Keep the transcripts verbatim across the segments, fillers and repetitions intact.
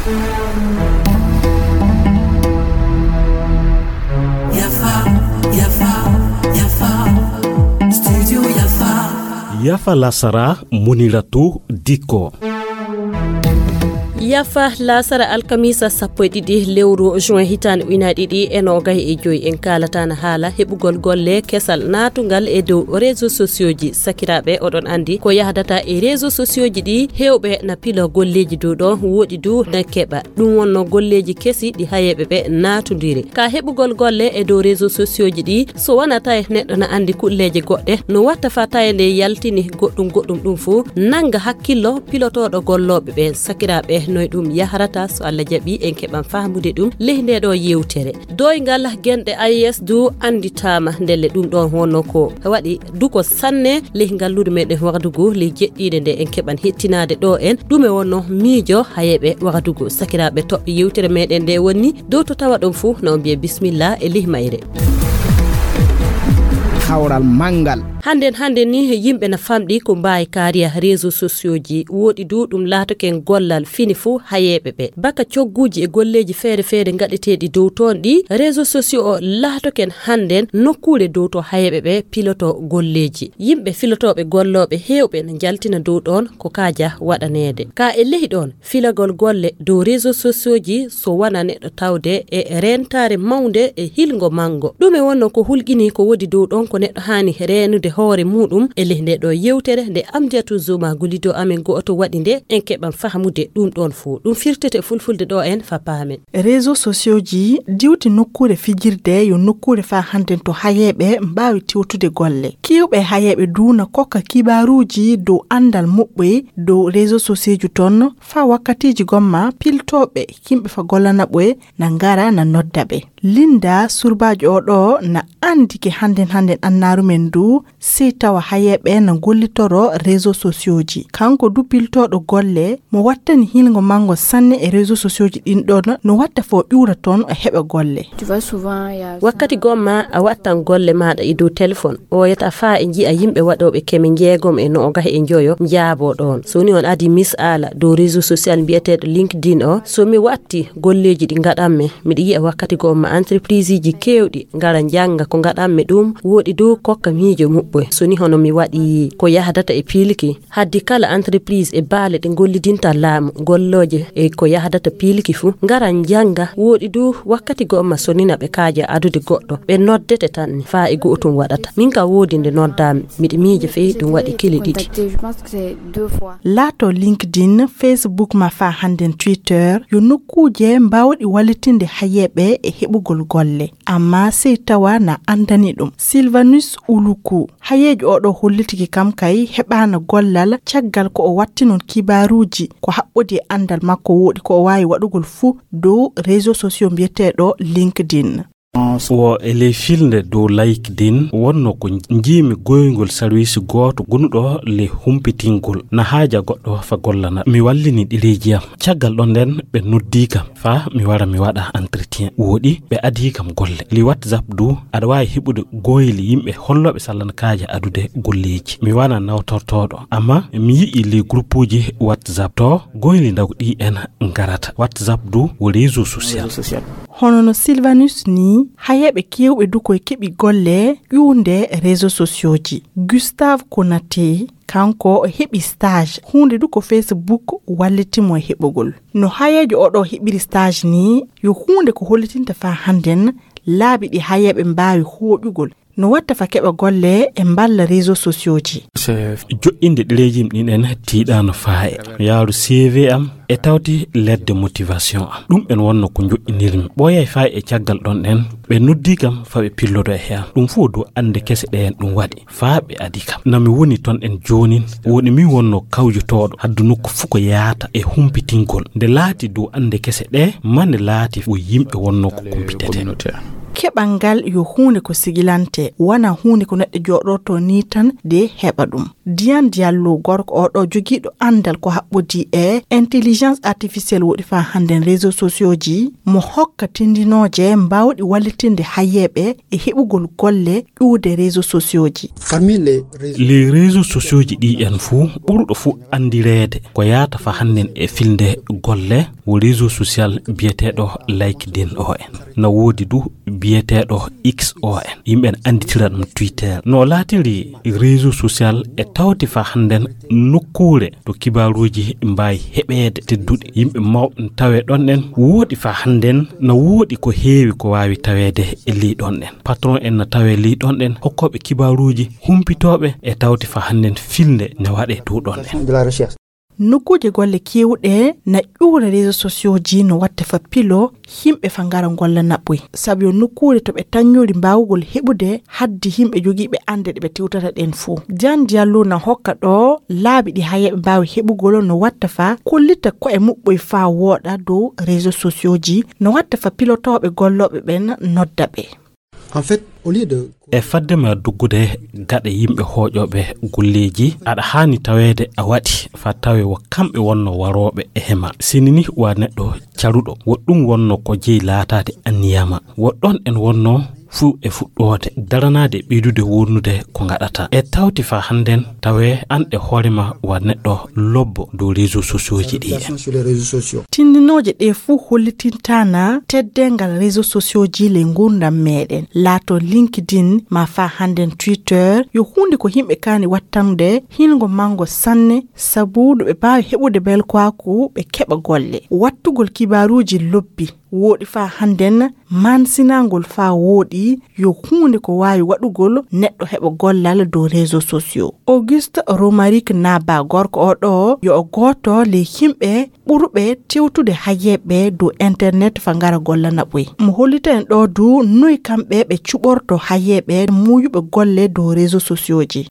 Yafa, yafa, yafa. Studio Yafa. Yafa lasara, Muniratu Dikko. Yafa lasara alkamisa sappo e ɗiɗi lewru juin hitaande ujunaaji ɗiɗi e noogay e joy. En kaalata na haala heɓugol golle kesal naatungal e dow réseaux sociaux ji. Sakiraaɓe, oɗon anndi ko yahdata e réseaux sociaux ji ɗi, heewɓe na pilo golleeji dow ɗon, woɗi du na keɓa. Ɗum wonno golleeji kesi ɗi hayeeɓe ɓe naatundiri. Ka heɓugol golle e dow réseaux sociaux ji ɗi, so wona tawi neɗɗo na anndi kulleeje goɗɗe, no watta fa tawi nde yaltini goɗɗum goɗɗum ɗum fof, nannga hakkillo pilotooɗo gollooɓe ɓen. Sakiraaɓe, noy ɗum yahrata? So Allah jaɓi, en keɓan fahmude ɗum ley nde ɗo yewtere. Doyngal genɗe A E S du annditaama, ndelle ɗum ɗon wonno ko waɗi duko sanne ley ngalluure meɗen Wagadugu ley jeɗɗiinde nde en keɓan hettinaade ɗo en. Ɗume wonno miijo hayeeɓe Wagadugu? Sakiraaɓe toɓɓe yewtere meɗen nde woni dow to tawa ɗon fuu, na on mbiye bismillah e ley mayre. Kawral manngal. Hannden, hannden ni yimɓe na famɗi ko mbaawi kaariya réseaux sociaux ji. Woɗi du ɗum laatoken gollal fini fuu hayeeɓe ɓe. Baka cogguuji e golleeji feere feere ngaɗeteeɗi dow toon ɗi, réseaux sociaux o laatoken hannden nokkuure dow to hayeeɓe ɓe piloto golleeji. Yimɓe filotooɓe gollooɓe heewɓe na njaltina dow ɗoon ko kaaja waɗaneede. Ka e ley ɗoon, filagol golle dow réseaux sociaux ji so wona neɗɗo tawde e reentaare mawnde e hilngo manngo. Ɗume wonno ko hulƴini ko woodi dow ɗoon ko neɗɗo haani reenude hoore muuɗum e ley nde ɗo yewtere nde Amdiatou Zouma gollido amen go'oto waɗi nde, en keɓan fahmude ɗum ɗoon fof. Ɗum firtete fulfulde ɗo en fa paamen. Réseaux sociaux ji diwti nokkuure fijirde yo nokkuure fa hannden to hayeeɓe mbaawi tewtude golle. Kiiwɓe hayeeɓe du na kokka kibaaruuji dow anndal moƴƴi dow réseaux sociaux ji toon, fa wakkatiiji gomma piltooɓe yimɓe fa gollana ɓe na ngara na nodda ɓe. Linda surbaajo o ɗo na anndi ke hannden hannden annaaru men du, sey tawa hayeeɓe na gollitoro réseaux sociaux ji. Kanko du piltooɗo golle mo wattani hilngo manngo sanne e réseaux sociaux ji ɗin ɗon, no watta fo ƴuura toon o heɓa golle. Tu vois, souvent, il y a Wakkati gomma a wattan golle maaɗa e dow téléphone, ɓooyata faa e nji'a yimɓe waɗooɓe keme njeegom e noogay e njoyo njaaboo ɗoon. So ni on adi mis'aala dow réseau social mbiyeteeɗo LinkedIn o, so mi watti golleeji ɗi ngaɗanmi, miɗa yi'a wakkati gomma entrepriseji keewɗi ngara njannga ko ngaɗanmi ɗum, woɗi dow kokka miijo muɓɓoy. So ni hono mi waɗi ko yahdata e piilki, haddi kala entreprise e baale ɗe ngollidinta laamu, gollooje e ko yahdata piilki fuu, ngara njannga. Woɗi du wakkati gomma so nina ɓe kaaja adude goɗɗo, ɓe noddete tan ni, faa e go'otum waɗata. Min ka woodi nde noddaami, miɗa miija fey ɗum waɗi kili ɗiɗi. Laato LinkedIn, Facebook ma faa hannden Twitter, yo nokkuuje mbaawɗi wallitinde hayeeɓe e heɓugol golle. Amma sey tawa na anndani ɗum. Sylvanus Uluku, hayeejo oɗo hollitiki kam kay heɓaana gollal caggal ko o watti noon kibaaruuji ko haɓɓodi e anndal makko woɗi ko o waawi waɗugol fuu dow réseau sociaux mbiyeteeɗo LinkedIn. Wo e ley filnde dow LinkedIn wonno ko njiimi goyngol sarwiisi gooto gonuɗo ley humpitingol na haaja goɗɗo fa gollana. Mi wallini ɗereeji am. Caggal ɗon nden ɓe noddii kam. Faa mi wara mi waɗa entretien. Woɗi ɓe adii kam golle. Li WhatsApp du, aɗa waawi heɓude goyli yimɓe hollooɓe sallanakaaji adude golleeji. Mi wona nawtortooɗo. Amma mi yi'i li groupuuji WhatsApp to goyli ndaw ɗi en ngarata. WhatsApp du wo réseau social. Hono no Sylvanus ni, hayeeɓe keewɓe du koye keɓi golle ƴuwnde réseau sociaux ji. Gustave Konaté, kanko o heɓi stage. Huunde du ko Facebook walliti mo e heɓugol. No hayeejo oɗo heɓiri stage ni, yo huunde ko hollitinta faa hannden laabi ɗi hayeeɓe mbaawi hooƴugol. No watta fa keɓa golle e mballa réseau sociaux ji. Joɗɗinde ɗereeji ɗin en tiiɗaano faa e yaaru C V am e tawti lettre de motivation am. Ɗum en wonno ko joɗɗinirmi. Ɓooyay faa e caggal ɗon ɗen, ɓe noddii kam fa ɓe pillodo e he am. Ɗum fof dow annde kese ɗe en ɗum waɗi. Faa ɓe adi kam. Na mi woni ton en joonin, woni min wonno kawjotooɗo, haddu nokku fuu ko yaata e humpitingol. Nde laati dow annde kese ɗe, mane laati wo yimɓe wonno ko kumpitete. Keɓal ngal yo huunde ko sigilante, wona huunde ko neɗɗo jooɗorto ni tan de heɓa ɗum. Diane Diallo, gorko oɗo jogiiɗo anndal ko haɓɓodii e intelligence artificielle woɗi faa hannden réseaux sociaux ji, mo hokka tindinooje mbaawɗi wallitinde hayeeɓe e heɓugol golle ƴuwde réseaux sociaux ji. Les réseaux sociaux ji ɗi en fuu, ɓurɗo fuu anndireede ko yaata faa hannden e filnde golle, wo réseau social biyeteeɗo LinkedIn o en. Na woodi du biyeteeɗo X o en. Yimɓe ne annditira ɗum Twitter. No laatiri réseau social e tawti faa hannden nokkuure to kibaaruuji mbaawi heɓeede tedduɗi. Yimɓe mawɓe ne tawee ɗon ɗen. Woodi faa hannden na woodi ko heewi ko waawi taweede e ley ɗon ɗen. Patron en na tawee ley ɗon ɗen. Hokkooɓe kibaaruuji, humpitooɓe e tawti faa hannden filnde ne waɗee dow ɗon ɗen. Nokkuuje golle keewɗe na ƴuura réseaux sociaux ji no watta fa pilo yimɓe fa ngara golla naɓɓoy. Sabu yo nokkuure to ɓe taññori mbaawugol heɓude haddi yimɓe jogiiɓe annde ɗe ɓe tewtata ɗen fof. Diane Diallo na hokka ɗo laabi ɗi hayeeɓe mbaawi heɓugol no watta fa kollita ko'e muɓɓoy faa wooɗa dow réseaux sociaux ji, no watta fa pilotooɓe gollooɓe ɓen nodda ɓe. En fait, au lieu de E fadde ma duggude gaɗa yimɓe hooƴooɓe golleeji, aɗa haani taweede a waɗi faa tawee wo kamɓe wonno warooɓe e hema. Sini ni wa neɗɗo caruɗo, wo ɗum wonno ko jeyi laataade anniyama. Wo ɗon en wonno fuu e fuɗɗoode, daranaade e ɓeydude wonnude ko ngaɗata. E tawti faa hannden tawee an e hoore ma wa neɗɗo lobbo dow réseaux sociaux ji ɗi en. Tindinooje ɗe fuu hollitintaana teddeengal réseaux sociaux ji ley nguurndam meɗen. Laato LinkedIn maa faa hannden Twitter yo huunde ko yimɓe kaani wattande hiingo manngo sanne, sabu ɗo ɓe mbaawi heɓude belkaaku ɓe keɓa golle. Wattugol kibaaruuji lobbi wooɗi faa hannden maansinangol faa wooɗi yo huunde ko waawi waɗugol neɗɗo heɓa gollal dow réseaux sociaux. Auguste Romaric Naba, gorko o ɗo yo o gooto ley yimɓe ɓurɓe tewtude hayeeɓe dow internet faa ngara golla naɓɓoy. Mo hollita en ɗo du noy kamɓe ɓe cuɓorto hayeeɓe muuyuɓe golle dow réseaux sociaux ji.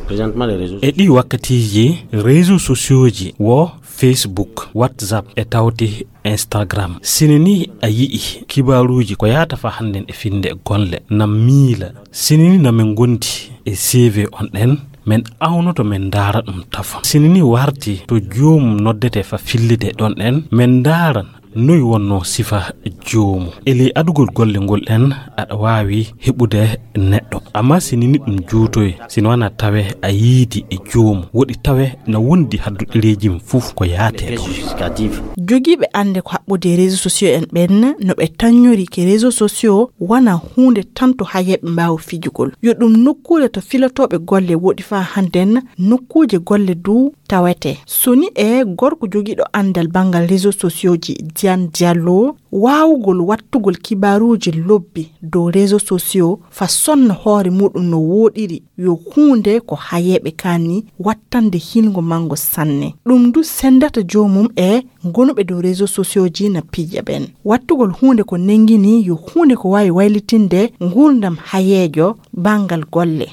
E ɗii wakkatiiji, réseaux sociaux ji wo Facebook, WhatsApp e tawti Instagram. Sini ni a yi'i kibaaruuji ko yaata faa hannden e filnde golle na miila. Sini ni na men ngondi e C V on ɗen, men awnoto men ndaara ɗum tafon. Sini ni warti to joomum noddete faa fillide ɗon ɗen, men ndaaran noy wonno sifa joomu. E ley adugol golle ngol ɗen, aɗa waawi heɓude neɗɗo. Amma sini ni ɗum juutoy, sino wanaa tawee a yiidi e joomu. Woɗi tawee na wondi haddu ɗereeji mum fof ko yaatee ɗon. Jogiiɓe annde ko haɓɓude e réseaux sociaux en ɓen, no ɓe taññori ke réseaux sociaux wonaa huunde tan to hayeeɓe mbaawa fijugol. Yo ɗum nokkuure to filotooɓe golle woɗi faa hannden nokkuuje golle du tawete. Soni e gorko jogiiɗo anndal banngal réseaux sociaux ji, Diane Diallo, waawugol wattugol kibaaruuji lobbi dow réseaux sociaux faa sonna hoore muɗum no wooɗiri yo huunde ko hayeeɓe kaani wattande hiingo manngo sanne. Ɗum du senndata joomum e gonuɓe dow réseaux sociaux ji na piija ɓen. Wattugol huunde ko nengini yo huunde ko waawi waylitinde nguurndam hayeejo banngal golle.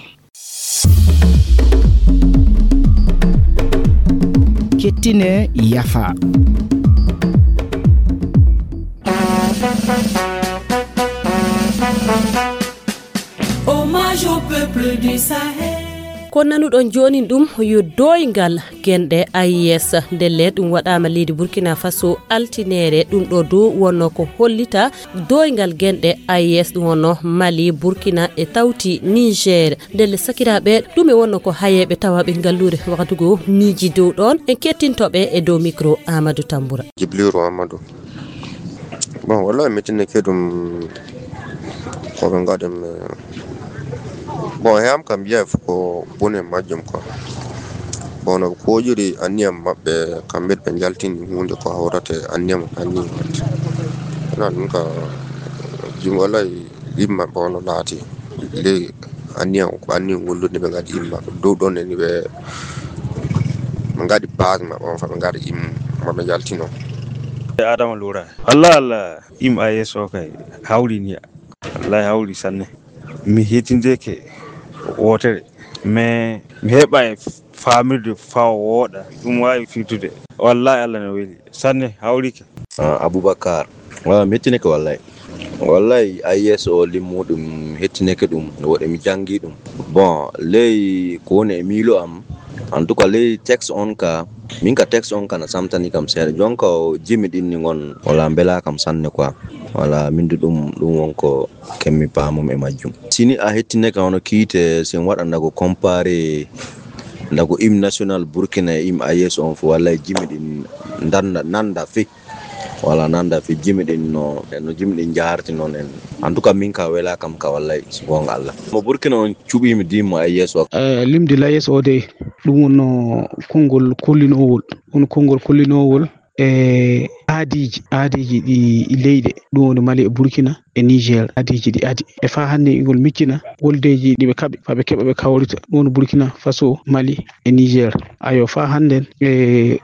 Kettine yafa. Hommage au peuple du Sahel. Ko nanuɗon joonin ɗum yo dooyngal genɗe A I S. Ndelle ɗum waɗaama leydi Burkina Faso altineere. Ɗum ɗo dow wonno ko hollita dooyngal genɗe A I S, ɗum wonno Mali, Burkina e tawti Niger. Ndelle sakiraaɓe, ɗum e wonno ko hayeeɓe tawaaɓe ngalluure waktu goo miiji dow ɗoon. En kettinto ɓe e dow micro Amadou Tambura. Jibrilu Amadou. Bon, wallahi mettineke ɗum ko ɓe ngaɗi mi. Bon, e am kam, mbiya ko bone majjum ko. Bon, no ɓe koƴiri anniyam maɓɓe, kamɓe ɓe njaltini huunde ko hawrata e anniyam anni waɗde. Wona ɗum ka jum, wallahi yimɓe maɓɓe on no laati. Ley anniyam, ko anniyam ngol ɗum ɓe ngaɗi yimɓe maɓɓe. Dow ɗon en ɓe, ɓe ngaɗi base maɓɓe on, fa ɓe ngaɗi yimɓe maɓɓe njaltino. Adama Lura. Allah, Allah. Im A S o kay hawri ni. Wallahi hawri sanne. Mi hetindeke wootere, mais mi heɓa e famirde fawa wooɗa. Ɗum waawi firtude. Wallahi Allah no weli sanne, hawrike. Ah, Aboubacar. Wala mettineke wallahi. Wallahi, A E S o limmuɗum hettineke ɗum, no woɗe mi janngi ɗum. Bon, ley ko woni e miilo am, en tout cas, ley texte on ka, min ka texte on ka na samtani kam seeɗa. Jonka o jimi ɗin ni ngon, wala mbela kam sanne quoi. Wala min du ɗum, ɗum won ko kemmi paamum e majjum. Sini a hettineke hono kiite, sin waɗa ndago comparé, ndago hymne national Burkina e hymne A E S on fu, wallahi jimi ɗin ndanna, nanda fe. Wala nanda fi jimi ɗin no, no jimi ɗin jaharti noon en. En tout cas, min ka wela kam ka wallay, so goonga Allah. Mo Burkina on cuɓimi dimmo A E S o. Eh, limde l'A E S o de, ɗum wonno konngol kollinowol. Won konngol kollinowol e aadiiji, aadiiji ɗi leyɗe. Ɗum woni Mali e Burkina e Niger. Aadiiji ɗi aadi. E faa hannde ingol miccina woldeeji ɗi ɓe kaɓi, faa ɓe keɓa ɓe kawrita. Ɗum woni Burkina Faso, Mali e Niger. Ayo, faa hannden, e,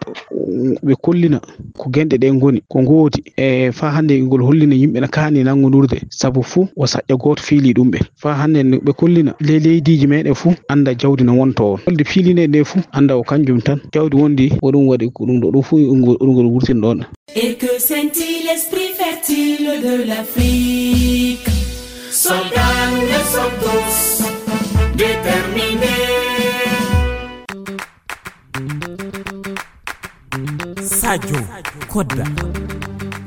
ɓe kollina ko genɗe ɗe ngoni, ko ngoodi. E, faa hannden ngol hollina yimɓe na kaani nanngonurde, sabu fuu o saƴƴa gooto fiili ɗum ɓe. Faa hannden ɓe kollina le-, leydiiji meɗen fuu annda jawdi no wonto on. Holde fiilinee nde fuu annda o kanjum tan. Jawdi wondi ko ɗum waɗi, ko ɗum ɗo, ɗum fuu ɗum ngol, ɗum ngol wurtin ɗon. Et que scintille l'esprit fertile de l'Afrique. Soldats, nous le sommes tous, déterminés. Sadio Kodda.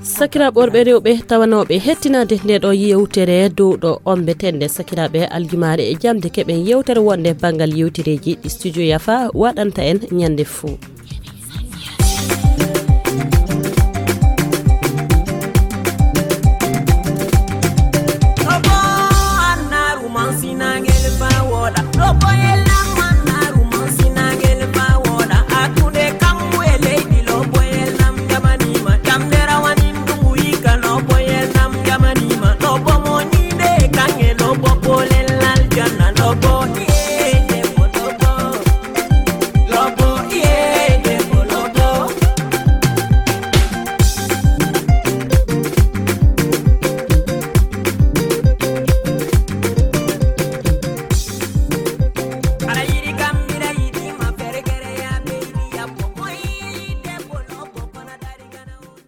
Sakiraaɓe worɓe e rewɓe tawanooɓe hettinaade nde ɗo yewtere dow ɗo ombeten nde, sakiraaɓe, aljumaare e jamde keɓen yewtere wonde banngal yewtereeji ɗi Studio Yafa waɗanta en ñande fuu.